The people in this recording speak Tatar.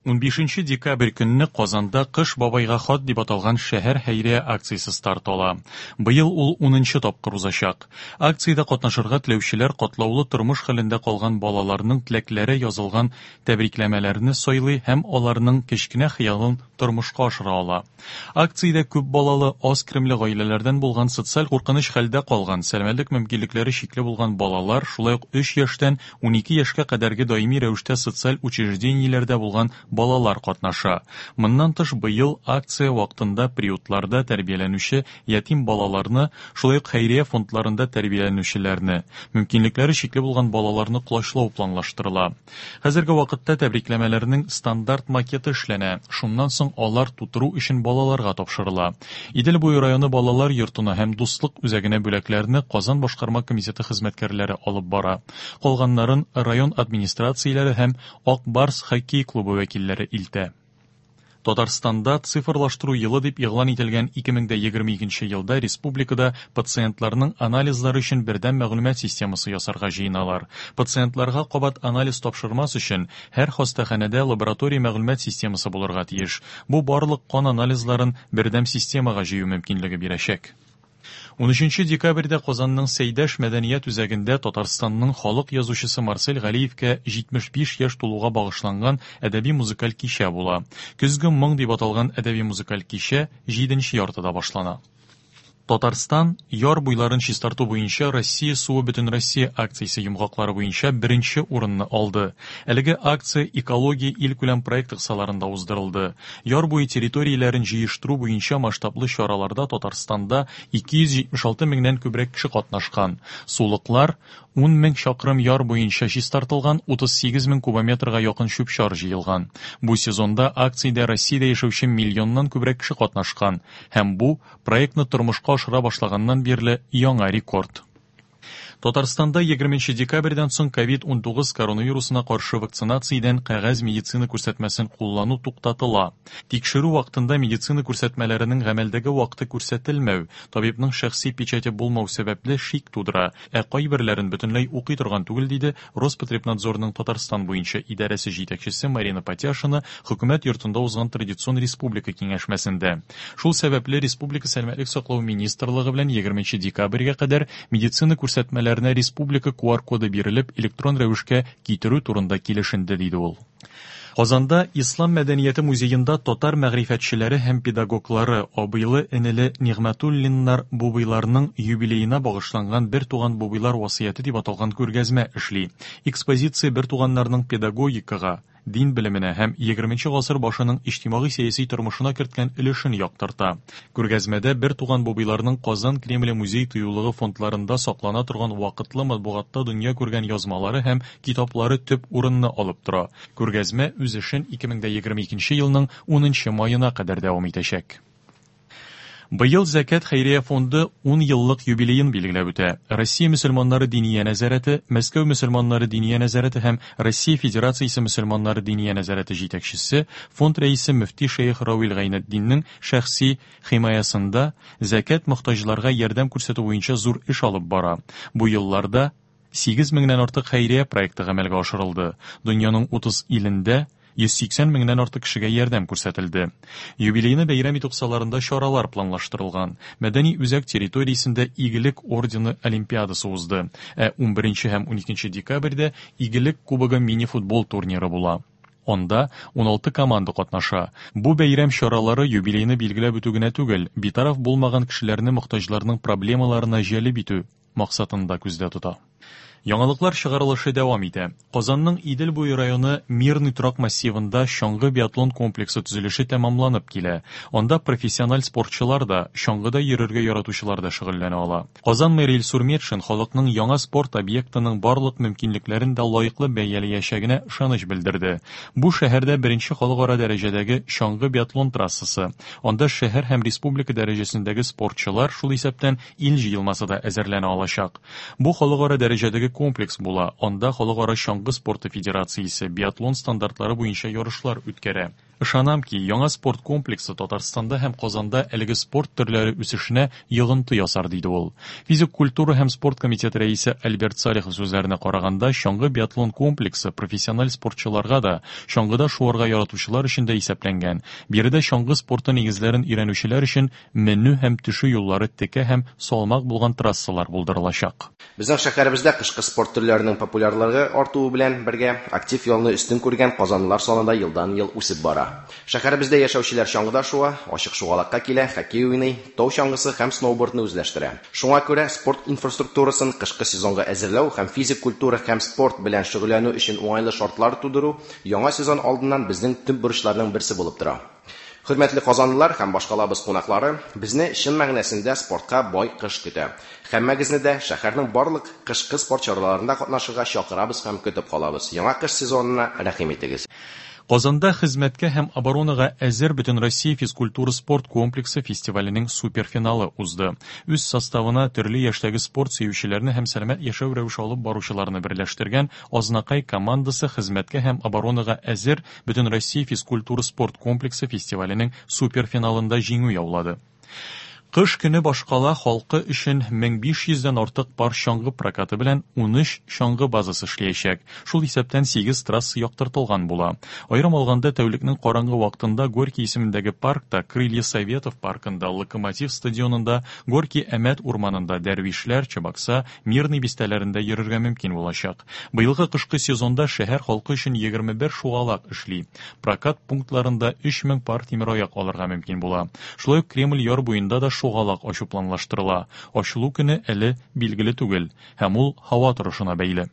15 декабрь көнне Казанда Кыш бабайга хат дип аталган шәһәр хәйрия акциясе старт ала. Быел ул унынчы тапкыр узачак. Акциядә катнашырга теләүчеләр катлаулы тормыш хәлендә калган балаларның теләкләре язылган тәбрикләмәләрне сайлый һәм аларның кечкенә хыялын тормышка ашыра ала. Акциядә күп балалы, аз керемле гаиләләрдән булган, социаль куркыныч хәлдә калган, сәламәтлек мөмкинлекләре чикле булган балалар, шулай ук өч яшьтән 12 яшькә кадәрге даими рәвештә социаль учреждениеләрдә булган балалар катнаша. Моннан тыш, быел акция вакытында приютларда тәрбияләнүче ятим балаларны, шулай ук хәйрия фондларында тәрбияләнүчеләрне, мөмкинлекләре чикле булган балаларны колачлау планлаштырыла. Хәзерге вакытта тәбрикләмәләрнең стандарт макеты эшләнә, шуннан соң алар тутыру өчен балаларга тапшырыла. Идел буе районы балалар йортына һәм Дуслык үзәгенә бүләкләрне Казан башкарма комитеты хезмәткәрләре алып бара. Калганнарын район администрацияләре һәм Ак Барс хоккей клубы вәкилләре илтә. Татарстанда цифрлаштыру елы дип игълан ителгән 2022 елда республикада пациентларның анализлары өчен бердәм мәгълүмат системасы ясарга җыеналар. Пациентларга кабат анализ тапшырмас өчен һәр хастаханәдә лаборатория мәгълүмат системасы булырга тиеш. Бу барлык кан анализларын бердәм системага җыю мөмкинлеге бирәчәк. 13 декабрьдә Казанның Сәйдәш мәдәният үзәгендә Татарстанның халык язучысы Марсель Галиевкә 75 яшь тулуга багышланган әдәби-музыкаль кичә була. Көзге моң дип аталган әдәби-музыкаль кичә җиденче яртыда башлана. Татарстан яр буйларын чистарту буенча Россия суы бөтенроссия акциясе йомгаклары буенча беренче урынны алды. Әлеге акция Экология илкүләм проекты кысаларында уздырылды. Яр буе территорияләрен җыештыру буенча масштаблы чараларда Татарстанда 276 меңнән күбрәк кеше катнашкан. Сулыклар 10 мең чакрым яр буенча чистартылган, 38 мең кубометрга якын чүп-чар җыелган. Бу сезонда акциядә Россиядә яшәүче миллионнан күбрәк кеше катнашкан һәм бу, проектны тормышка ашыра башлаганнан бирле яңа рекорд. Татарстанда 20 декабрьдән соң COVID-19 коронавирусына каршы вакцинациядән кәгазь медицина күрсәтмәсен куллану туктатыла. Тикшерү вакытында медицина күрсәтмәләренең гамәлдәге вакыты күрсәтелмәү, табибның шәхси печате булмау сәбәпле шик тудыра, ә кайберләрен бөтенләй укый торган түгел, диде Роспотребнадзорның Татарстан буенча идарәсе җитәкчесе Марина Патяшина Хөкүмәт йортында узган традицион республика киңәшмәсендә. Шул сәбәпле республика Сәламәтлек саклау министрлыгы белән 20 декабрьгә кадәр медицина күрсәтмәләренә республика QR-коды бирелеп, электрон рәвешкә китерү турында килешенде, диде ул. Казанда Ислам мәдәнияте музеенда татар мәгърифәтчеләре һәм педагоглары абыйлы-энеле Нигъмәтуллиннар Бубыйларның юбилеена багышланган Бертуган Бубыйлар васыяте дип аталган күргәзмә эшли. Экспозиция бертуганнарның педагогикага, дин белеменә һәм егерменче гасыр башының иҗтимагый-сәяси тормышына керткән өлешен яктырта. Күргәзмәдә бертуган Бубыйларның Казан Кремле музей-тыюлыгы фондларында саклана торган вакытлы матбугатта дөнья күргән язмалары һәм китаплары төп урынны алып тора. Күргәзмә үз эшен 2022 елның унынчы маена кадәр дәвам итәчәк. Быел Зәкят хәйрия фонды ун еллык юбилеен билгеләп үтә. Россия мөселманнары диния нәзарәте, Мәскәү мөселманнары диния нәзарәте һәм Россия Федерациясе мөселманнары диния нәзарәте җитәкчесе, фонд рәисе мөфти шәех Равил Гайнетдиннең шәхси химаясында Зәкят мохтаҗларга ярдәм күрсәтү буенча зур эш алып бара. Бу елларда 8 меңнән артык хәйрия проекты гамәлгә ашырылды. Дөньяның 30 илендә 180 меңнән артык кешегә ярдәм күрсәтелде. Юбилейны бәйрәм итү кысаларында чаралар планлаштырылган. Мәдәни үзәк территориясендә Игелек ордены олимпиадасы узды. Ә 11 һәм 12 декабрьдә Игелек кубогы мини-футбол турниры була. Анда 16 команда катнаша. Бу бәйрәм чаралары юбилейны билгеләп үтү генә түгел, битараф булмаган кешеләрне мохтаҗларның проблемаларына җәлеп итү максатын да күздә тота. Яңалыклар чыгарылышы дәвам итә. Казанның Идел буе районы Мирный торак массивында чаңгы-биатлон комплексы төзелеше тәмамланып килә. Анда профессиональ спортчылар да, чаңгыда йөрергә яратучылар да шөгыльләнә ала. Казан мэры Илсур Метшин халыкның яңа спорт объектының барлык мөмкинлекләрен дә лаеклы бәяләячәгенә ышаныч белдерде. Бу шәһәрдә беренче халыкара дәрәҗәдәге чаңгы-биатлон трассасы. Анда шәһәр һәм республика дәрәҗәсендәге спортчылар, шул исәптән ил җыелмасы да әзерләнә алачак. Бу халыкара дәрәҗәдәге комплекс була, анда Халыкара чаңгы спорты федерациясе биатлон стандартлары буенча ярышлар үткәрә. Ышанам ки, яңа спорт комплексы Татарстанда һәм Казанда әлеге спорт төрләре үсешенә йогынты ясар, диде ул. Физик культура һәм спорт комитеты рәисе Альберт Салихов сүзләренә караганда, чаңгы-биатлон комплексы профессиональ спортчыларга да, чаңгыда шуарга яратучылар өчен дә исәпләнгән. Биредә чаңгы спорты нигезләрен өйрәнүчеләр өчен менү һәм төшү юллары текә һәм салмак булган трассалар булдырылачак. Безнең шәһәребездә кышкы спорт төрләренең популярлыгы артуы белән бергә, актив ялны өстен күргән казанлылар саны да елдан-ел үсеп бара. Шәһәребездә яшәүчеләр чаңгыда шуа, ачык шугалакка килә, хоккей уйный, тау чаңгысы һәм сноубордны үзләштерә. Шуңа күрә спорт инфраструктурасын кышкы сезонга әзерләү һәм физик культура һәм спорт белән шөгыльләнү өчен уңайлы шартлар тудыру яңа сезон алдыннан безнең төп бурычларның берсе булып тора. Хөрмәтле казанлылар һәм башкалабыз кунаклары, безне чын мәгънәсендә спортка бай кыш көтә. Һәммәгезне дә шәһәрнең барлык кышкы спорт чараларында катнашырга чакырабыз һәм көтеп калабыз. Яңа кыш сезонына рәхим итегез! Казанда Хезмәткә һәм оборонага әзер Бөтенроссия физкультура-спорт комплексы фестиваленең суперфиналы узды. Үз составына төрле яшьтәге спорт сөючеләрне һәм сәламәт яшәү рәвеше алып баручыларны берләштергән Азнакай командасы Хезмәткә һәм оборонага әзер Бөтенроссия физкультура-спорт комплексы фестиваленең суперфиналында җиңү яулады. Кыш көне башкала халкы өчен 1500 дән артык пар чаңгы прокаты белән 13 чаңгы базасы эшләячәк. Шул исәптән 8 трасса яктыртылган була. Аерым алганда, тәүлекнең караңгы вакытында Горький исемендәге паркта, Крылья Советов паркында, Локомотив стадионында, Горки-Әмәт урманында, Дәрвишләр, Чабакса, Мирный бистәләрендә йөрергә мөмкин булачак. Быелгы кышкы сезонда шәһәр халкы өчен 21 шугалак эшли. Прокат пунктларында 3000 пар тимераяк алырга мөмкин була. Шулай ук Кремль яр буенда да шугалак ачу планлаштырыла. Ачылу көне әле билгеле түгел һәм ул һава торышына бәйле.